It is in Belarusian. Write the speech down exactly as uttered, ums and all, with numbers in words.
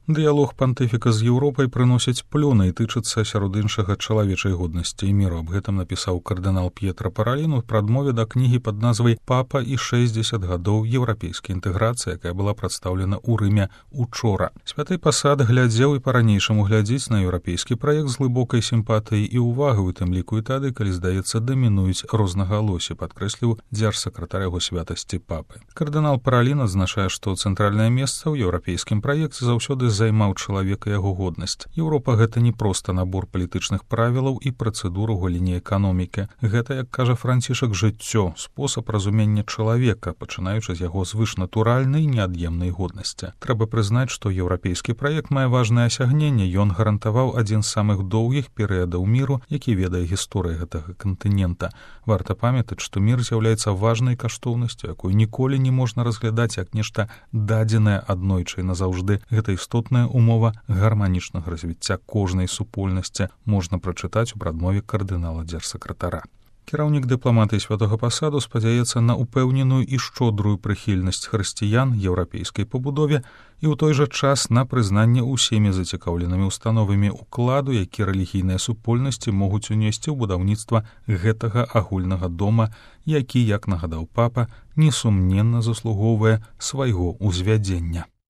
Дыялог пантыфіка з Еўропай прыносіць плёны і тычыцца сярод іншага чалавечай годнасці і міру. Аб гэтым напісаў кардынал П'етра Паралін у прадмове да кнігі пад назвай «Папа і шэсцьдзесят гадоў еўрапейскай інтэграцыі», якая была прадстаўлена ў Рыме учора. Святы пасад глядзеў і па-ранейшаму глядзіць на еўрапейскі праект з глыбокай сімпатыяй і увагай, у тым ліку і тады, калі, здаецца, дамінуюць рознагалоссі, падкрэсліў дзяржсакратар яго святасці папы. Кардынал Паралін адзначае, што цэнтральнае месца ў еўрапейскім праекце заўсёды займаў чалавека яго годнасць. Еўропа — гэта не проста набор палітычных правілаў і працэдур у галіне эканомікі. Гэта, як кажа Францішак, жыццё, спосаб разумення чалавека, пачынаючы з яго звышнатуральнай неад'емнай годнасці. Трэба прызнаць, што еўрапейскі праект мае важнае асягненне. Ён гарантаваў адзін з самых доўгіх перыядаў міру, які ведае гісторыя гэтага кантынента. Варта памятаць, што мір з'яўляецца важнай каштоўнасцю, якую ніколі не можна разглядаць як нешта дадзенае аднойчы і назаўжды. Гэта істотная умова гарманічнага развіцця кожнай супольнасці, можна прачытаць у прадмове кардынала дзяржсакратара. Кіраўнік дыпламатыі святога пасаду спадзяецца на упэўненую і шчодрую прыхільнасць хрысціян еўрапейскай пабудове і ў той жа час на прызнанне ўсімі зацікаўленымі установамі ўкладу, які рэлігійныя супольнасці могуць унесці ў будаўніцтва гэтага агульнага дома, які, як нагадаў папа, несумненна заслугоўвае свайго ўзвядзення.